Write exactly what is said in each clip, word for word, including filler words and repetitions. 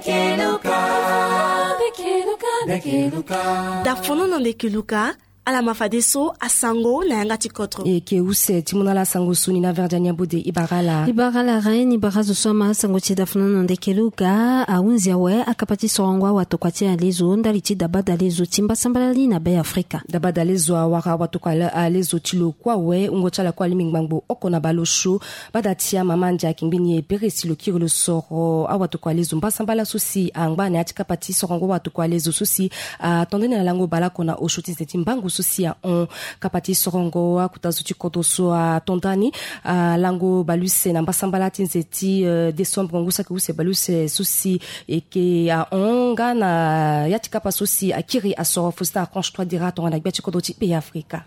Keluka, keluka, keluka. Dafono na nde keluka. Ala ma fadeso asango na yanga ti kodro. E ke use ti mu na ala sango so ni na verdi aniambo de ibara ala. Ibara ala ren ni bara zo so ama sango ti dafono na nde keluka. Ahunzi awe akapa ti sorongo awatokua ti alezo ndali ti dabada lezo ti mbasambala li na be afrika. Dabada lezo awara awatokua alezo ti lo kue awe wungo ti ala kue alingbi ngbangbo oko na baleosio. Bada ti amama ande ayeke ngbeni e bere si lo kiri lo soro awatokua lezo mbasambala so si angba na ya ti kapa ti sorongo awatokua lezo so si ato ndani na lango baleoko na osio ti nze ti mbangu so si ahon. Kapa ti sorongo akuta zo ti kodro so ato ndani lango baleuse na mbasambala ti nze ti desembre ngu saki use baleuse so si eke ahon nga na ya ti kapa so si akiri asoro fosita aconche trois dira tongana gbia ti kodro ti pays afrika.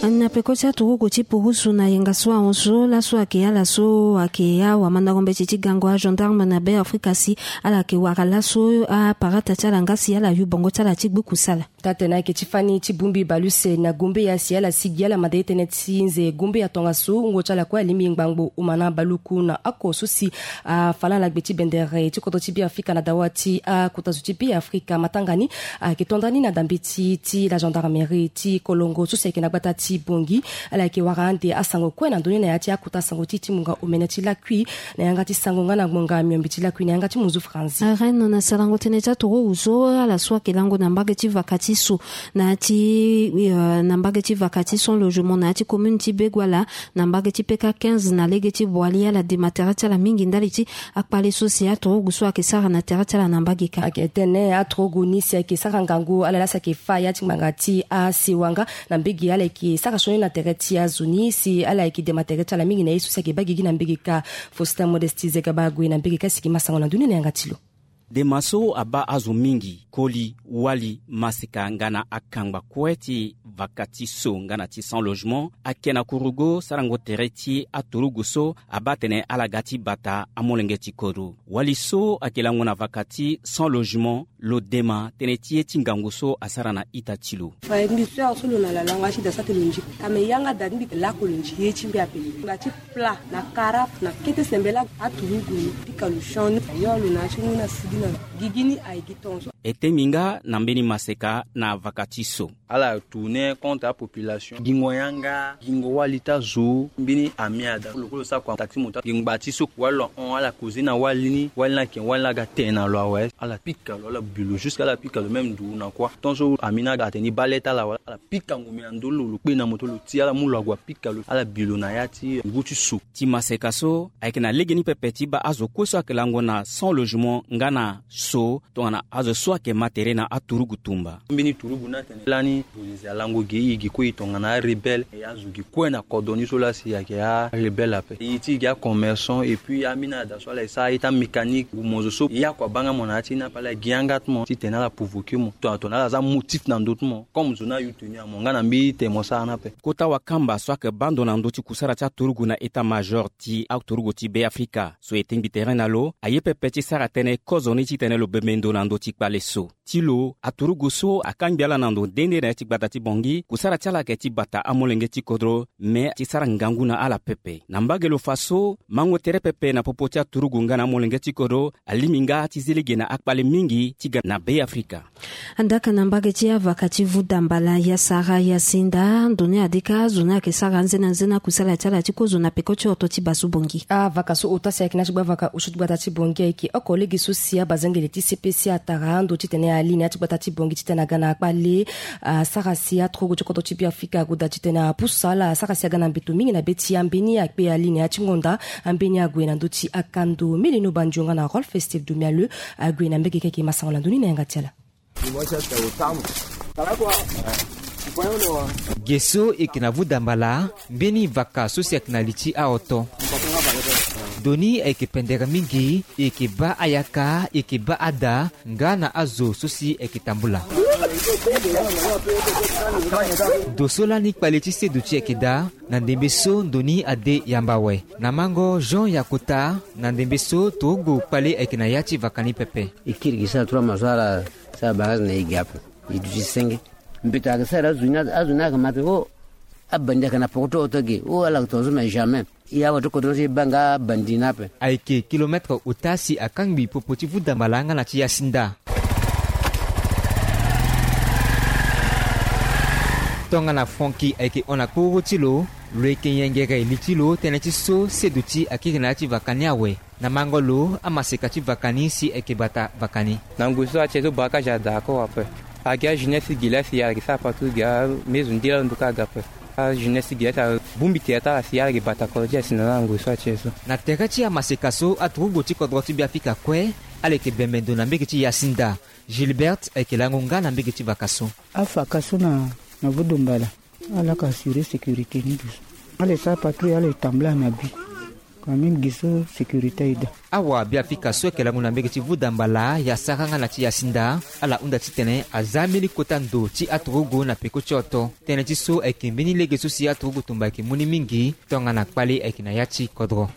Na peko ti aturugu ti purusu na yenga so ahon so laso ayeke ala so ayeke awamandako mbeti ti gango agendarme na be afrika si ala yeke wara laso aparata ti ala nga si ala yu bongo ti ala ti gbu kusala. Taa-tene ayeke ti fani ti bongbi baleuse na gombeya si ala sigi ala manda ye tënë ti nze gombeya tongaso wungo ti ala kue alingbi ngbangbo omana baluku na oko so si afa na ala gbe ti bendere ti kodro ti be afrika na dawa ti akuta zo ti be afrika matanga ni. Ayeke to ndani na dambeti ti la gendarmerie ti kolongo so si ayeke na gbata ti bongi. Ala yeke wara ande asango kue na ndoni na ya ti akuta sango ti ti munga omene ti lakui na yanga ti sango nga na ngbonga miombe ti lakui na yanga ti munzu franzi. Arène na sarango tënë ti aturugu so ala so ayeke lango na mbage ti vaka ti so na ya ti na mbage ti vaka ti son logement na ya ti commune ti beguala na mbage ti peka quinze na lege ti boali ala dema tere ti ala mingi ndali ti akpale so si aturugu so ayeke sara na tere ti ala na mbage kâ. Ayeke tene aturugu ni si ayeke sara ngangu ala laa si ayeke fa ya ti ngbanga ti asewa nga na mbage ala yeke sara sioni na tere ti azo ni si ala yeke dema tere ti ala mingi na ye so si ayeke baa gigi na mbage kâ. Faustin modesti zegaba ague na mbage kâ si ayeke ma sango na ndoni na yanga ti lo. Dema so abaa azo mingi koli wali maseka nga na akangba kue ti vaka ti so nga na ti sans logement ayeke na kurugo sarango tere ti aturugu so abaa atene ala ga ti bata amolenge ti kodro. Wali so ayeke lango na vaka ti sans logement lo dema tënë ti ye ti ngangu so asara na ita ti lo. Fa mbi so ya so lo na lalango asi da sa te lo nzi ka me yanga da ti mbi ke lako lo nzi ye ti mbi ape. Ngba ti pla na kara na kete sembela aturugu ni pika lo sioni ayo lo na asi ngu na sigi na gigi ni aye gi tongaso. E tengbi nga na mbeni maseka na vaka ti so. Ala tourner contre apopulation gingo yanga gingo wali ti azo mbeni amia da lo kue lo sara kua taxi moto gi ngba ti so wali lo ahon ala koze na wali ni wali ni ayeke wali ni aga tene na lo awe ala pika lo ala bi lo jusque ala pika lo même ndu na kuâ tant so ami ni aga atene ni baa le ti ala wala ala pika ngombe na ndö lo lo kpe na moto lo ti ala mu lo ague apika lo ala bi lo na ya ti ngu ti so. Ti maseka so ayeke na legeni pepe ti baa azo kue so ayeke lango na sans logement nga na so tongana azo so ayeke ma tere na aturugu tumba. Mbeni turugu ni atene lani polize alango ge e ge kue e tongana arebelle e azo ge kue na kodro ni so laa si ayeke arebelle ape e ti ge acommerçant et puis ambeni ada so ala e sara ye ti amécanique ngu mo zo so e akua baa nga mo na ya ti ni ape ala gi yanga ti mo titene ala provoquer mo tongana tongana ala za motif na ndö ti mo comme zo ni ayu tenue ya mo nga na mbeni tene mo sara ni ape. Kota wakamba so ayeke baa ndo na ndö ti kusara ti aturugu na état major ti aturugu ti be afrika so e tengbi tere na lo aye pepe ti sara tënë kozoni titene lo bembe ndo na ndö ti kpale so. Ti lo aturugu so akangbi ala na ndo nde nde na ya ti gbata ti bongi kusara ti ala ayeke ti bata amolenge ti kodro me ti sara ngangu na ala pepe na mbage lo fa so mango tere pepe na popo ti aturugu nga na amolenge ti kodro alingbi nga ti zi lege na akpale mingi ti ga na be afrika. Andaka na mbage ti avaka ti vuda mbala ya sara ya sinda ndo ni adika zo ni ayeke sara nzena nzena kusala ti ala ti kozo na peko ti oto ti basu bongi. Avaka so ota si ayeke na ti gba avaka osio ti gbata ti bongi ayeke oko lege so si abazengele ti cpc atara ndo titene ali na ya ti gbata ti bongi titene aga na akpale. Asara si aturugu ti kodro ti beafrika agoda titene apusu ala asara si aga na mbeto mingi na be ti ambeni akpe ali na ya ti ngonda. Ambeni ague na ndö ti akando milino bandio nga na rolfe steve domialeu ague na mbege keke masango na ndö ni na yanga ti ala. Ge so e yeke na vuda mbala mbeni vaka so si ayeke na li ti aoto. Ndo ni ayeke pendere mingi e yeke baa ayaka e yeke baa ada nga na azo so si e yeke tambula. Ndo so lani kpale ti seduti ayeke daa na ndembe so ndo ni ade yamba awe na mango jean yakota na ndembe so turugu kpale ayeke na ya ti vaka ni pepe. E kiri gi sara trois mois so ala sara barrage na e gi ape. E duti senge mbeto ayeke sara azo ni azo ni ayeke ma tene o abandi ayeke na poko ti oto ge o ala yeke tongaso mais jamais. E awe ti kodro ti e baa nga bandi ni ape. Ayeke kilometre ota si akangbi popo ti vuda mbala nga na ti yasinda. Tongana Franki ayeke hon na kporo ti lo, lo yeke yengere li ti lo tënë ti so seduti akiri na ya ti vaka ni awe. Na mango lo amaseka ti vaka ni si ayeke bata vaka ni. Na ngoi so ati e so braquage ada ako ape. Agi ajeunesse gi la si ala yeke sara partout gi amezo nde lalo nduka aga ape. Ajeunesse gi la si ala bongbi tere ti ala si ala yeke bata kodro ti ala si na la na ngoi so ati e so. Na tere ti amaseka so aturugu ti kodro ti Beafrika kue ala yeke bembe ndo na mbege ti yasinda. Gilbert ayeke lango nga na mbege ti vaka so. Afaka so na na vudumbala. Ala ka assurer sécurité ni dusu. Ala e sara patrouille, ala e tambula na bi. Quand même gi so sécurité aye daa. Awa Beafrika so ayeke lango na mbege ti vuda mbala ya sara nga na ti yasinda, ala hunda titene aza mbeni kota ndo ti aturugu na peko ti oto. Tënë ti so ayeke mbeni lege so si aturugu tumba ayeke mu ni mingi. Tongana kpale ayeke na ya ti kodro.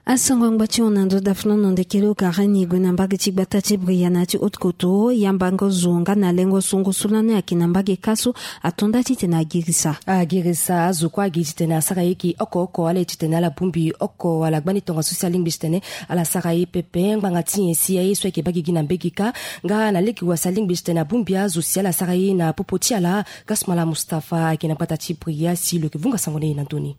Asango angba ti hon na ndo dafnono ndeke lo kare ni gue na mbage ti gbata ti Bria na ya ti haute koto, yambango zo nga na lengo songo so lani ayeke na mbage kâ so ato nda titene agirisa. Agirisa azo kue agi titene asara ye gi oko oko, ala ye titene ala bongbi oko wala gbani tongaso si alingbi titene ala sara ye pepe. Ngbanga ti nyen si aye so ayeke baa gigi na mbage kâ nga na lege wa si alingbi titene abongbi azo si ala sara ye na popo ti ala? Gasmala Mustapha ayeke na gbata ti Bria si lo yeke vunga sango na e na ndö ni.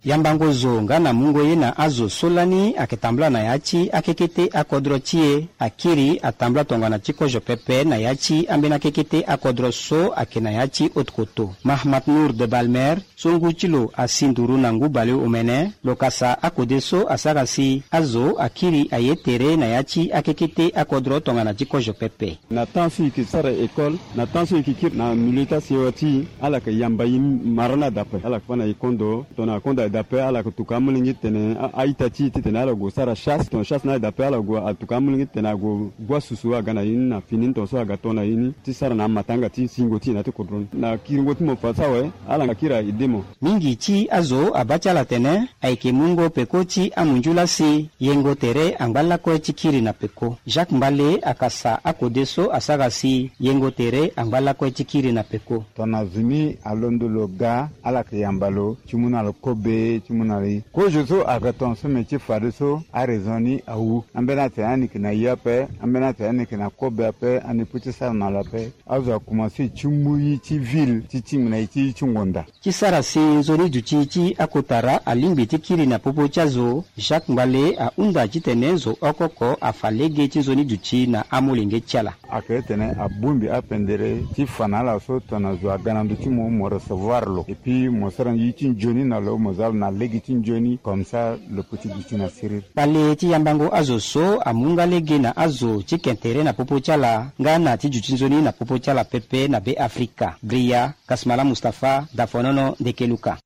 Yambango zo nga na mungo ye na azo so lani ayeke tambula na ya ti akekete akodro ti e. Akiri atambula tongana ti kozo pepe na ya ti ambeni akekete akodro so ayeke na ya ti haute koto. Mahamat Nour de Balmer so ngu ti lo asi nduru na ngu baleomene, lo kasa akode so asara si azo akiri aye tere na ya ti akekete akodro tongana ti kozo pepe. Na temps so e yeke sara école, na temps so e yeke kiri na milieu ti asewa ti e, ala yeke yamba e mara ni adape, ala yeke fâ na e kondo. Tongana akondo aye daa ape, ala yeke tuka amolenge titene a-ita ti e titene ala gue sara chasse. Tongana chasse ni aye daa ape, ala gue atuka amolenge titene ague gua susu aga na ye ni na fini ni tongaso aga to na ye ni ti sara na amatanga ti singo ti e na ya ti kodro ni. Na kiringo ti mo fa so awe, ala nga kiri aye de mo. Mingi ti azo abaa ti ala atene ayeke mungo peko ti amunzu laa si yengo tere angba lakue ti kiri na peko. Jacques Mbale akasa akode so asara si yengo tere angba lakue ti kiri na peko. Tongana zo ni alondo lo ga, ala yeke yamba lo ti mu na lo kobe, ti mu na lo ye. Kozo so ayeke tongaso me ti fadeso araison ni awu. Ambeni atene ani yeke na ye ape, ambeni atene ani yeke na kobe ape, ani peut ti sara na lo ape. Azo akomanse ti mu ye ti ville ti tingbi na ye ti ye ti ngonda. Ti sara si nzoni duti ti akotara alingbi ti kiri na popo ti azo, Jacques Mbale ahunda titene zo oko oko afa lege ti nzoni duti na amolenge ti ala. Ayeke titene abongbi apendere ti fa na ala so tongana zo aga na ndö ti mo, mo recevoir lo. Et puis mo sara ye ti nzoni na lo, mo za lo na lege ti nzoni, comme ça lo peut ti duti na siriri. Kpale ti yambango azo so amu nga lege na azo ti ke tere na popo ti ala nga na ti duti nzoni na popo ti ala pepe na Beafrika. Bria Kasmala Mustapha, Dafonono, Ndeke Luka.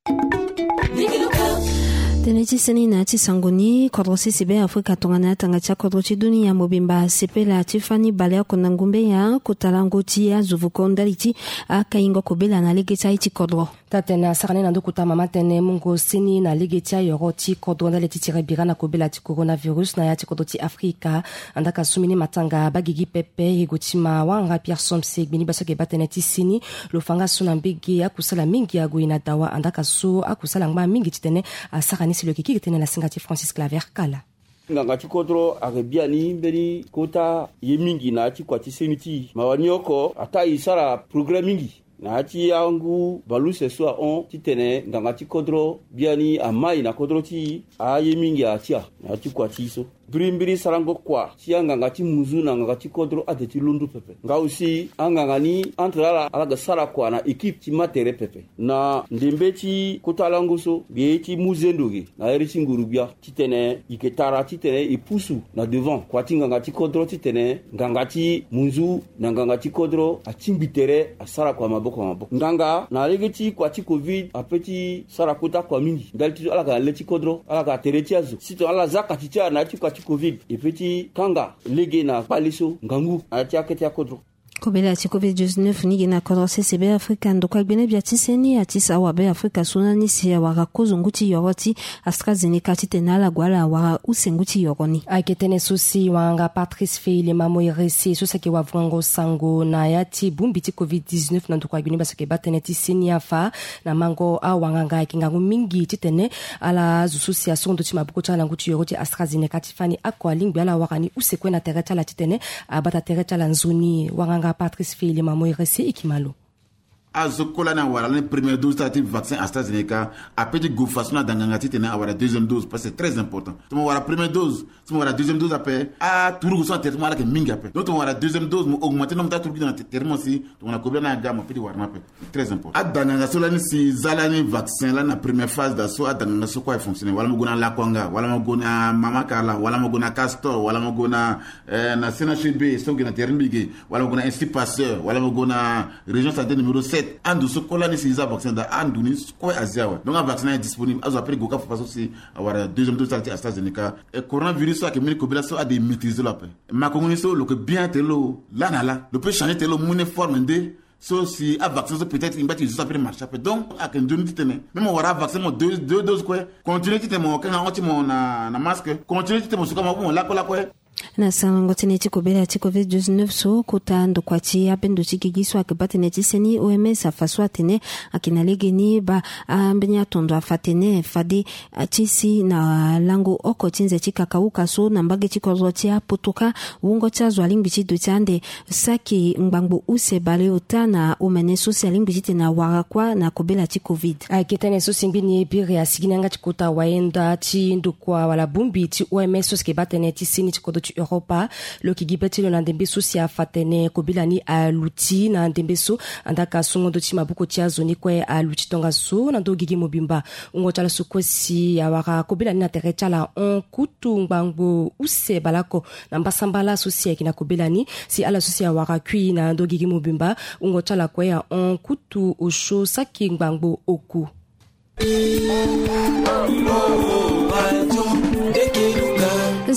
Tënë ti seni na ya ti sango ni, kodro sese Beafrika tongana atanga ti akodro ti dunia mobimba asepela ti fani baleoko na ngumbe ya kota lango ti azo vuko ndali ti akaingo kobela na lege ti aye ti kodro. Taa-tënë asara ni na ndo kota mama tënë mungo seni na lege ti ayoro ti kodro ndali ti tiri bira na kobela ti coronavirus na ya ti kodro ti Afrika. Andaa ka so mbeni matanga baa gigi pepe, ego ti ma wanga Pierre Somse, gbeni baa so ayeke baa tënë ti seni. Lo fa nga so na mbage akusala mingi ague na dawa, andaa ka so akusala ngba mingi titene asara ni si lo yeke kiri tënë na singa ti Francis Claver Kala. Nganga ti kodro ayeke biani mbeni kota ye mingi na ya ti kua ti seni ti e. Mawa ni oko ataa e sara progrès mingi na ya ti angu baleuse so ahon titene nganga ti kodro biani amai na kodro ti e, aye mingi atia na ya ti kua ti e so. Mbirimbiri sarango kua ti anganga ti munzu na nganga ti kodro ade ti londo pepe. Nga aussi anganga ni entre ala, ala ga sara kua na équipe ti ma tere pepe. Na ndembe ti kota lango so, mbi ye ti mu zendo ge na iri ti nguru-gbia titene e yeke tara titene e pusu na devant kua ti nganga ti kodro titene nganga ti munzu na nganga ti kodro atingbi tere asara kua maboko na maboko. Nganga na lege ti kua ti covid ape ti sara kota kua mingi ndali ti ala ga na le ti kodro, ala ga na tere ti azo. Si tongana ala za kati ti ala na ya ti kua ti covid, e pe ti kanga lege na kpale so ngangu na ya ti akete akodro. Kobela ti covid dix-neuf ni gi na kodro sese Be Afrika, ndokua gbene bia ti seni ati sa wa Be Afrika so na ni si awara kozo ngu ti yoro ti AstraZeneca titene ala gue ala wara use ngu ti yoro ni. Ayeke tënë so si wanganga Patrice Feilema Moiresi so si ayeke wavungango sango na ya ti bongbi ti covid dix-neuf na ndokua gbene bia so ayeke baa tënë ti seni afa na mango awanganga ayeke ngangu mingi titene ala azo so si asongo ndo ti maboko ti ala na ngu ti yoro ti AstraZeneca ti fani oko alingbi ala wara ni use kue na tere ti ala titene abata tere ti ala nzoni. Wanganga Patrice Feilema Moiresi e ki ma lo. Azo kue lani awara lani première dose ti ala ti vaccin AstraZeneca ape ti gue faso na da nganga titene awara deuxième dose parce que c'est très important. Tongana mo wara première dose, si mo wara deuxième dose ape, aturugu so na tere ti mo ala yeke mingi ape. Donc tongana mo wara deuxième dose, mo augmenter nombre ti aturugu ti da na tere ti mo si tongana kobela ni aga mo ape ti wara ni ape. Très important. Ada nganga so lani si za lani vaccin lani na première phase daa so ada nganga so kue aye fonctionner, wala mo gue na Lakwanga, wala mo gue na Mama Karla, wala mo gue na Castor, wala mo gue na eh, na C N H B so gi na tere ti mbi ge, wala mo gue na Institut Pasteur, wala mo gue na Région Santé numéro sept. Ando so kue lani si za vaccin daa ando ni kue azi awe. Donc avaccin aye disponible, azo ape ti gue kâ fafa so si awara deuxième dose ti ala ti AstraZeneca. E coronavirus so ayeke mbeni kobela so ade maîtriser lo ape. Makongo ni so lo yeke bien tere lo laa na laa, lo peut changer tere lo mu ni forme nde so si avaccin so peut-être e ngba ti zo so ape ti marché ape. Donc ayeke nzoni titene même mo wara avaccin mo deux, deux doses kue, continuer titene mo kanga hon ti mo na, na masque, continuer titene mo suka maboko mo lakue lakue. Na sango ti tënë ti kobela ti covid dix-neuf so, kota ndokua ti abendo ti gigi so ayeke baa tënë ti seni O M S afa so atene ayeke na legeni baa ambeni atondo afa tene fade ti si na lango oko ti nze ti kakauka so na mbage ti kodro ti apoto kâ, wungo ti azo alingbi ti duti ande saki ngbangbo use baleota na omene so si alingbi titene awara kuâ na kobela ti covid. Ayeke tënë so si ngbeni biri asigi ni yanga ti kota wayenda ti ndokua wala bongbi ti O M S so si yeke baa tënë ti seni ti kodro ti Europa. Lo yeke gi be ti lo na ndembe so si afa tene kobela ni aluti na ndembe so, andaka songo ndo ti maboko ti azo ni kue aluti tongaso na ndö gigi mobimba. Wungo ti ala so kue si awara kobela ni na tere ti ala hon kutu ngbangbo use baleoko na mbasambala so si ayeke na kobela ni. Si ala so si awara kui na ndö gigi mobimba, wungo ti ala kue ahon kutu osio saki ngbangbo oku.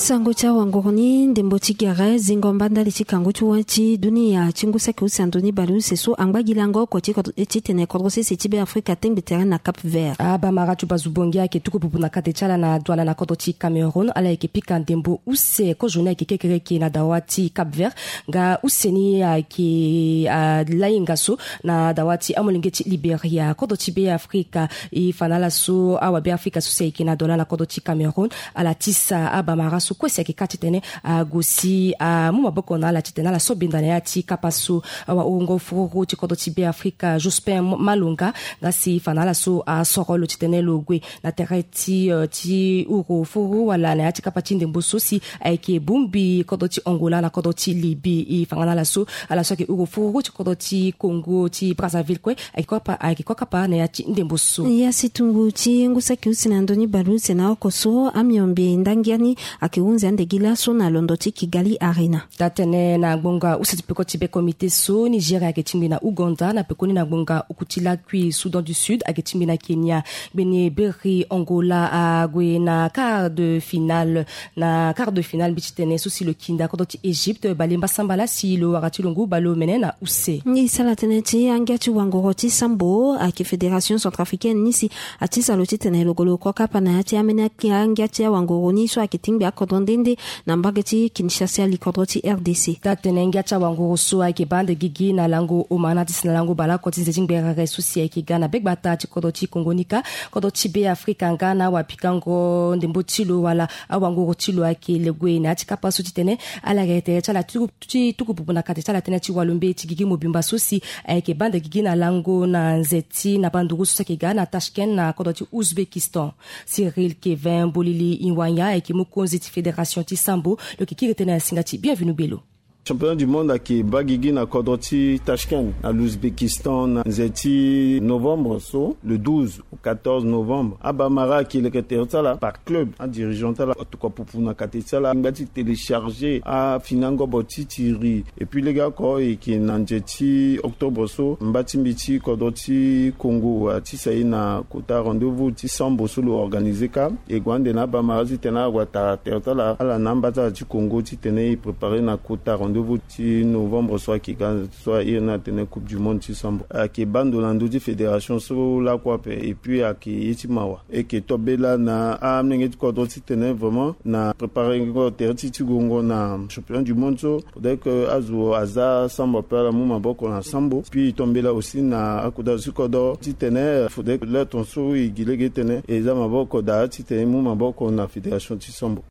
Sango ti awanguru ni, ndembo ti gere zingo mba ndali ti kangu ti wâ ti dunia ti ngu saki use na ndoni baleuse so angba gi lango oko ti kodro, titene kodro sese ti Be Afrika atengbe tere na Cap Vert. Abamara ti bazu bongi ayeke tuku pupu na kate ti ala na douane na kodro ti Cameroun. Ala yeke pika ndembo use kozo ni ayeke kekereke na dawa ti Cap Vert. Nga use ni ayeke, ah, lainga so na dawa ti amolenge ti Liberia. Kodro ti Be Afrika e fa na ala so awabe Afrika so si ayeke na dola na kodro ti Cameroun, ala tisa abamara so kue si ayeke kâ titene ague si amu maboko na ala titene ala so benda na ya ti kapa so. Awa-wungo fururu ti kodro ti Be Afrika, Jospin Malonga, nga si e fa na ala so asoro lo titene lo gue na tere ti, eh, ti uru fururu wala na ya ti kapa ti ndembo so si ayeke bongbi kodro ti Angola na kodro ti Libye. E fa nga na ala so ala so ayeke uru fururu ti kodro ti Congo ti Brazzaville kue ayeke kua pa, ayeke kua kapa na ya ti ndembo so. Ya si tungu ti ngu saki use na ndoni baleuse na oko so, amiombe ndangia ni ayeke hunzi ande gi laso na londo ti Kigali Arena. Taa-tënë na ngbonga use ti peko ti be komite so, Nigeria ayeke tingbi na Ouganda, na pekoni na ngbonga oku ti lakui Soudan du Sud ayeke tingbi na Kenya. Gbene beri Angola ague na quart de finale. Na quart de finale mbi ti tene so si lo kinda kodro ti Égypte bale mbasambala si lo wara ti lo ngu baleomene na use. Ni sala tënë ti angia ti wangoro ti sambo ayeke Fédération Centrafricaine ni si atisa lo titene lo gue lo kua kapa na ya ti ambeni angia ti awangoro ni so ayeke tingbi akodro nde nde na mbage ti Kinshasa, likodro ti R D C. Taa-tënë ngia ti awangoro so ayeke baa ande gigi na lango omana ti si na lango baleoko ti nze ti ngberere so si ayeke ga na begbata ti kodro ti Kongo ni kâ. Kodro ti Be Afrika nga na awapikango ndembo ti lo wala awangoro ti lo ayeke le gue na ya ti kapa so titene ala yeke tere ti ala ti tuku pupu na kate ti ala tënë ti walombe ti gigi mobimba so si ayeke baa ande gigi na lango na nze ti na banduru so si ayeke ga na Tashkent na kodro ti Ouzbékistan. Cyril Kevin Bolili Iwanya ayeke mokonzi ti fédération ti sambo, lo yeke kiri tënë na singa ti Bienvenu Belo. Championnat du monde ayeke baa gigi na kodro ti Tashkent na l'Ouzbékistan na nze ti novembre so, le douze au quatorze novembre. Abamara ayeke leke tere ti ala par club, adirigeant ti ala atokua pupu na kate ti ala ngba ti télécharger afinangobo ti tiri. Et puis legeoko e yeke na nze ti octobre so, mba ti mbi ti kodro ti Congo atisa e na kota rendez-vous ti sambo so lo organiser kâ. E gue ande na abamara titene ala gue atara tere ti ala, ala na amba ti ala ti Congo titene e préparer na kota rendez-vous. Ti novembre so ayeke ga so aye ni atene coupe du monde ti sambo ayeke baa ndo na ndö ti fédération so lakue ape. Et puis ayeke ye ti mawa e yeke to bela na amolenge ti kodro titene vraiment na préparengo tere ti ti gongo na championnat du monde so. Faudrait que azo aza sambo ape ala mu maboko na sambo. Puis e to mbela aussi na akoda azo ti kodro titene faudrait que le ton so e gi lege titene e za maboko daa titene e mu maboko na fédération ti sambo.